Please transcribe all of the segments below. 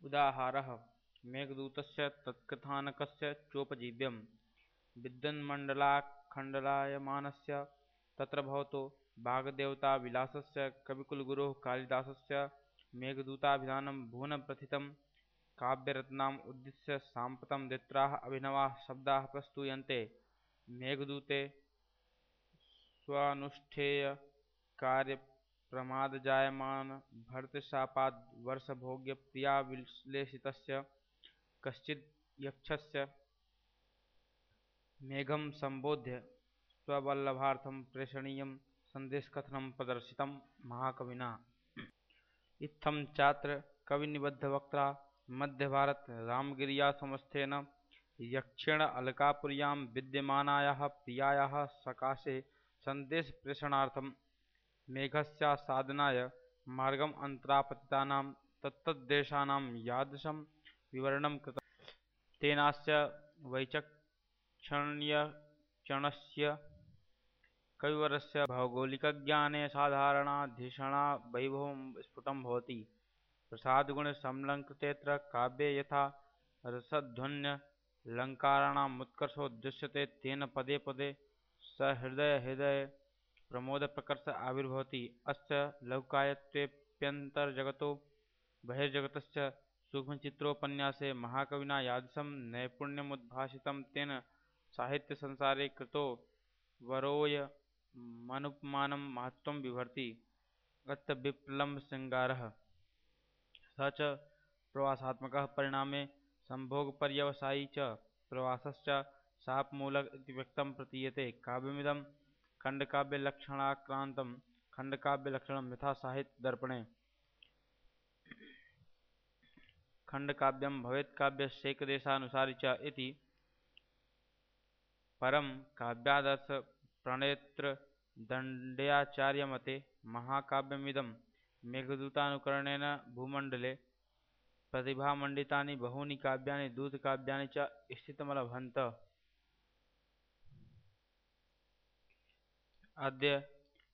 उदाहारः मेघदूतस्य तत्कथानकस्य चोपजीव्यम् विद्वन्मण्डलाखण्डलायमानस्य तत्र भवतो वाग्देवताविलासस्य कविकुलगुरोः कालिदासस्य मेघदूताभिधानं भुवनप्रथितं काव्यरत्नाम् उद्दिश्य साम्प्रतं द्वित्राः अभिनवाः शब्दाः प्रस्तूयन्ते। मेघदूते स्वानुष्ठेयकार्यप्रमादजायमान भर्तृशापाद्वर्षभोग्यप्रियाविश्लेषितस्य कश्चिद्यक्षस्य मेघं सम्बोध्य स्ववल्लभार्थं प्रेषणीयं सन्देशकथनं प्रदर्शितं महाकविना। इत्थं चात्र कविनिबद्धवक्त्रा मध्यभारत रामगिर्यासमस्थेन यक्षेण अलकापुर्यां विद्यमानायाः प्रियायाः सकाशे सन्देशप्रेषणार्थं मेघस्यासादनाय मार्गम् अन्तरापतितानां तत्तद्देशानां यादृशं विवरणं कृतं तेनास्य वैचक्षण्यचणस्य कविवरस्य भौगोलिकज्ञाने साधारणाधिषणावैभवं स्फुटं भवति। प्रसादगुणसमलङ्कृतेऽत्र काव्ये यथा रसध्वन्यलङ्काराणामुत्कर्षो दृश्यते तेन पदे पदे सहृदयहृदयप्रमोदप्रकर्ष आविर्भवति। अस्य लघुकाव्यत्वेऽप्यन्तर्जगतो बहिर्जगतश्च सूक्ष्मचित्रोपन्यासे महाकविना यादृशं नैपुण्यमुद्भासितं तेन साहित्यसंसारे कृतो वरोऽयमनुपमानं महत्त्वं बिभर्ति। अत्र विप्रलम्बशृङ्गारः स च प्रवासात्मकः परिणामे संभोगपर्यवसायी च प्रवासश्च शापमूलक इति व्यक्तं प्रतीयते। काव्यमिदं खण्डकाव्यलक्षणाक्रान्तं खण्डकाव्यलक्षणं यथा साहित्यदर्पणे खण्डकाव्यं भवेत्काव्यस्यैकदेशानुसारी च इति परं काव्यादर्थप्रणेत्रदण्ड्याचार्यमते महाकाव्यमिदं मेघदूतानुकरणेन भूमण्डले प्रतिभामण्डितानि बहूनि काव्यानि दूतकाव्यानि च स्थितमलभन्त। अद्य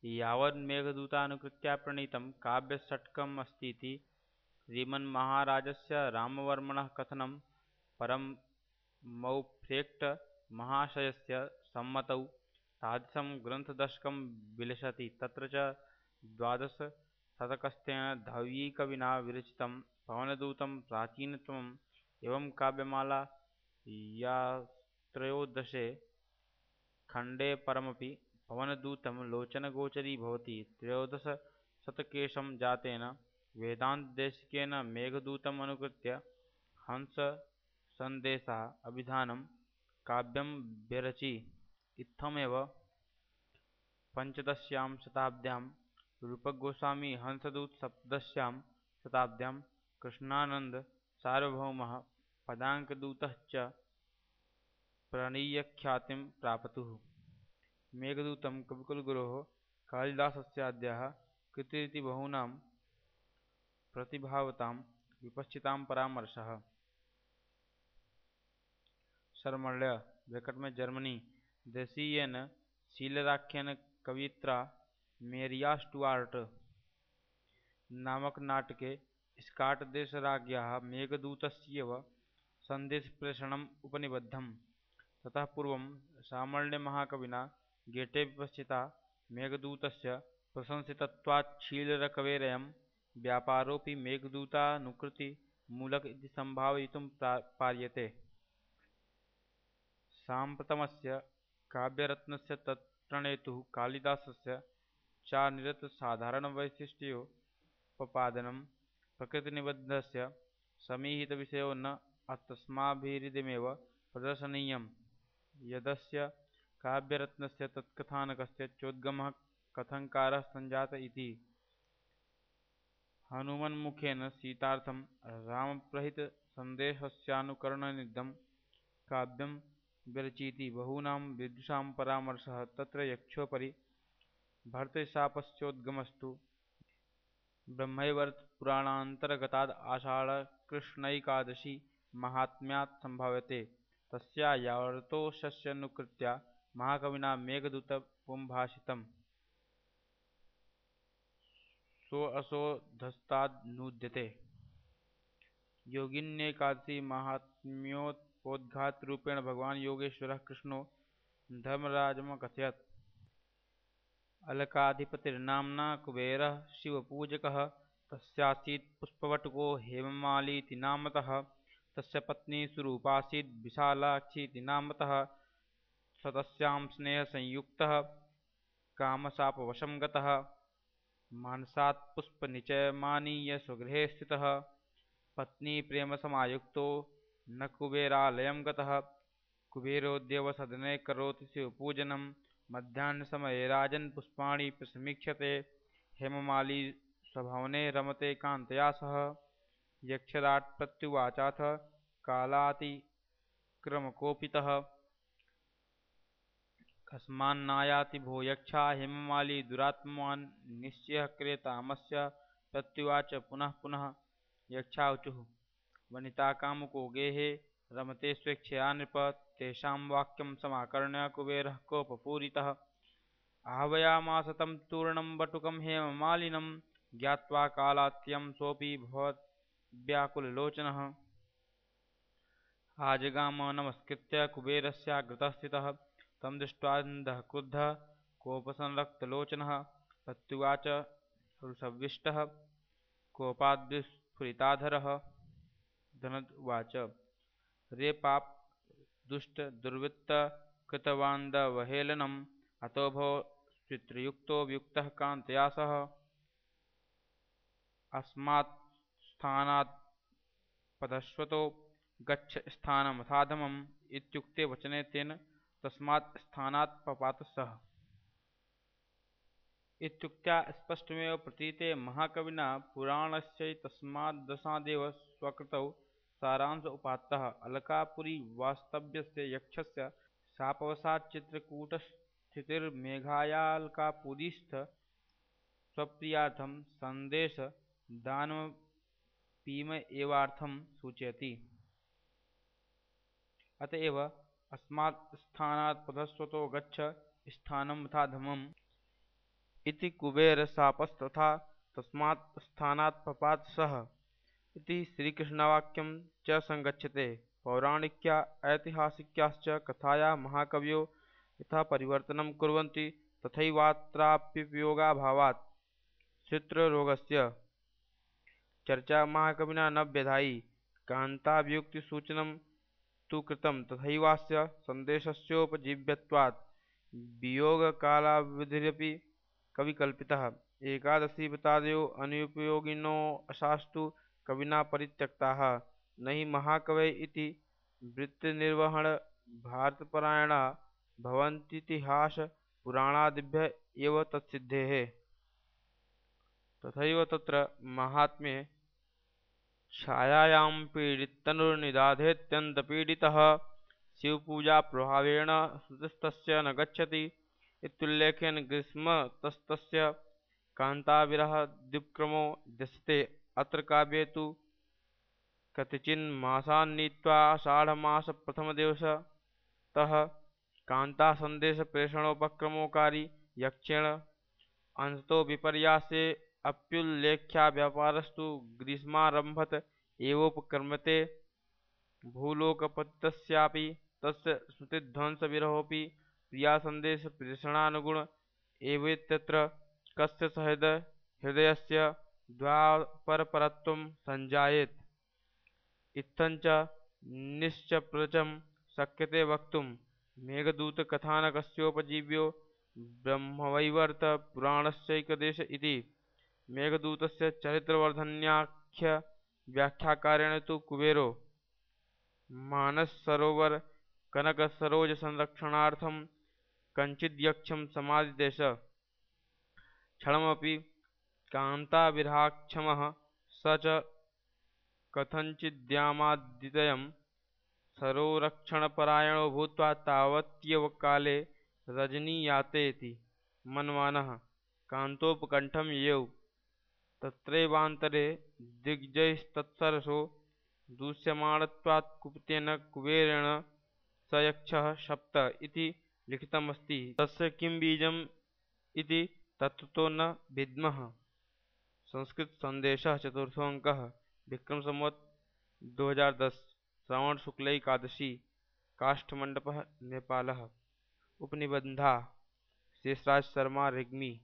यावन्मेघदूतानुकृत्या प्रणीतं काव्यषट्कमस्तीति श्रीमन्महाराजस्य रामवर्मणः कथनं परं मौफ्रेक्टमहाशयस्य सम्मतौ तादृशं ग्रन्थदशकं विलसति। तत्र च द्वादशशतकस्थेन धौयिकविना विरचितं पवनदूतं प्राचीनतमम् एवं काव्यमाला यात्रयोदशे खण्डे परमपि पवनदूतं लोचनगोचरी भवति। त्रयोदशशतकेशं जातेन वेदान्तदेशिकेन मेघदूतमनुकृत्य हंससन्देशः अभिधानं काव्यं व्यरचि। इत्थमेव पञ्चदश्यां शताब्द्यां रूपकगोस्वामी हंसदूत, सप्तदश्यां शताब्द्यां कृष्णानन्दसार्वभौमः पदाङ्कदूतः च प्रणीयख्यातिं प्रापतुः। मेघदूतं कविकुलगुरोः कालिदासस्याद्यः कृतिरिति बहूनां प्रतिभावतां विपश्चितां परामर्शः। शर्मण्य ब्रैकेट में जर्मनी देशीयेन शीलराख्येन कवयित्रा मेरिया स्टुआर्ट नामक नाटके स्काट्देशराज्ञ्याः मेघदूतस्यैव सन्देशप्रेषणम् उपनिबद्धम्। ततः पूर्वं सामण्यमहाकविना गेटे विपश्चिता मेघदूतस्य प्रशंसितत्वाच्छीलरकवेरयं व्यापारोऽपि मेघदूतानुकृतिमूलक इति सम्भावयितुं पार्यते। साम्प्रतमस्य काव्यरत्नस्य तत्प्रणेतुः कालिदासस्य चानिरतसाधारणवैशिष्ट्योपपादनं प्रकृतिनिबद्धस्य समीहितविषयो न तस्माभिरिदमेव प्रदर्शनीयं यदस्य काव्यरत्नस्य तत्कथानकस्य चोद्गमः कथंकारः सञ्जात इति। हनुमन्मुखेन सीतार्थं रामप्रहितसन्देशस्यानुकरणनिधं काव्यं विरचीति बहूनां विद्वांसां परामर्शः। तत्र यक्षोपरि भर्तृशापस्योद्गमस्तु ब्रह्मैवर्तपुराणान्तर्गताद् आषाढकृष्णैकादशी माहात्म्यात् सम्भाव्यते। तस्यावर्तोषस्यनुकृत्या महाकविना मेघदूतमुपभाषितम्। सोऽसोऽधस्तादनूद्यते। योगिन्येकादशी माहात्म्योपोद्घातरूपेण भगवान् योगेश्वरः कृष्णो धर्मराजमकथयत्। अलकाधिपतिर्नाम्ना कुबेरः शिवपूजकः। तस्यासीत् पुष्पवटुको हेममालीति नामतः। तस्य पत्नी सुरूपासीत् विशालाक्षीति नामतः। स तस्यां स्नेहसंयुक्तः कामशापवशं गतः। मानसात् पुष्पनिचयमानीय स्वगृहे स्थितः। पत्नी प्रेमसमायुक्तो न कुबेरालयं गतः। कुबेरो देवसदने करोति शिवपूजनं। मध्याह्नसमये राजन् पुष्पाणि प्रसमीक्षते। हेममाली स्वभवने रमते कान्तया सह। यक्षराट् प्रत्युवाचाथ कालातिक्रमकोपितः। कस्मान्नायाति भो यक्षा हेममाली दुरात्मवान्। निश्चयः क्रियतामस्य प्रत्युवाच पुनः पुनः। यक्षाऊचुः वनिता कामुको गेहे रमते स्वेच्छया नृप। तेषां वाक्यं समाकर्ण्य कुबेरः कोपपूरितः। आह्वयामास तं तूर्णं वटुकं हेममालिनं। ज्ञात्वा कालात्यं सोऽपि भवद्व्याकुललोचनः। आजगाम नमस्कृत्य कुबेरस्याग्रतः स्थितः। तं दृष्ट्वान्धः क्रुद्धः कोपसंरक्तलोचनः। प्रत्युवाच रुषव्विष्टः कोपाद्विस्फुरिताधरः। धनद उवाच रे पाप दुष्ट दुर्वृत्त कृतवान्दवहेलनम्। अतो भव स्पितृयुक्तो वियुक्तः कान्तया सह। अस्मात् स्थानात् पदश्वतो गच्छ स्थानमथाधमम्। इत्युक्ते वचने तेन तस्मात् स्थानात् पपात सः। इत्युक्त्या स्पष्टमेव प्रतीते महाकविना पुराणस्यैतस्माद्दशादेव स्वकृतौ सारांश उपात्तः। अलकापुरीवास्तव्यस्य यक्षस्य शापवशात् चित्रकूटस्थितिर्मेघायालकापुरीस्थ स्वप्रियार्थं सन्देशदानमपीमएवार्थं सूचयति। अतएव अस्मात् स्थानात् पदस्वतो गच्छ स्थानमथाधमम् इति कुबेरशापस्तथा तस्मात् स्थानात् पपात सः इति श्रीकृष्णवाक्यं च संगच्छते। पौराणिक्या ऐतिहासिक्याश्च कथाया महाकवयो यथा परिवर्तनं कुर्वन्ति तथैवात्राप्युपयोगाभावात् श्रुत्ररोगस्य चर्चा महाकविना न व्यधायि। कान्तावियुक्तिसूचनं तु कृतं तथैवास्य सन्देशस्योपजीव्यत्वात् वियोगकालावधिरपि कविकल्पितः। एकादशीव्रतादयो अनुपयोगिनोऽशास्तु कविना परित्यक्ताः। न हि महाकवय इति वृत्तिनिर्वहणभारतपरायणा भवन्तीतिहासपुराणादिभ्य एव तत्सिद्धेः। तथैव तत्र माहात्म्ये छायायां पीडिततनुर्निदाधेऽत्यन्तपीडितः शिवपूजाप्रभावेण श्रुतिस्तस्य न गच्छति इत्युल्लेखेन ग्रीष्मतस्तस्य कान्ताविरहद्विक्रमो दृश्यते। अत्र काव्ये तु कतिचिन्मासान्नीत्वा आषाढमासप्रथमदिवसतः कान्तासन्देशप्रेषणोपक्रमोकारी यक्षेण अंशतो विपर्यासे अप्युल्लेख्याव्यापारस्तु ग्रीष्मारम्भत एवोपक्रम्यते। भूलोकपतितस्यापि तस्य स्मृतिध्वंसविरहोऽपि प्रियासन्देशप्रेषणानुगुण एवेत्यत्र कस्य सहृदयस्य द्वापरपरत्वं सञ्जायेत। इत्थञ्च निश्चप्रचं शक्यते वक्तुं मेघदूतकथानकस्योपजीव्यो ब्रह्मवैवर्तपुराणस्यैकदेश इति। मेघदूतस्य चरित्रवर्धन्याख्यव्याख्याकारेण तु कुबेरो मानससरोवरकनकसरोजसंरक्षणार्थं कञ्चिद्यक्षं समादिदेश। क्षणमपि कान्ताविरहाक्षमः स च कथञ्चिद्यामादित्ययं सरोरक्षणपरायणो भूत्वा तावत्येव काले रजनीयातेति मन्वानः कान्तोपकण्ठं ययौ। तत्रैवान्तरे दिग्जैस्तत्सरसो दूष्यमाणत्वात् कुपितेन कुबेरेण स यक्षः शप्त इति लिखितमस्ति। तस्य किं बीजम् इति तत्त्वतो न विद्मः। संस्कृतसन्देशः चतुर्थोऽङ्कः। विक्रमसंवत् 2010 श्रावण शुक्ल एकादशी काष्ठमण्डपः नेपालः उपनिबन्धः शेषराज शर्मा रेग्मी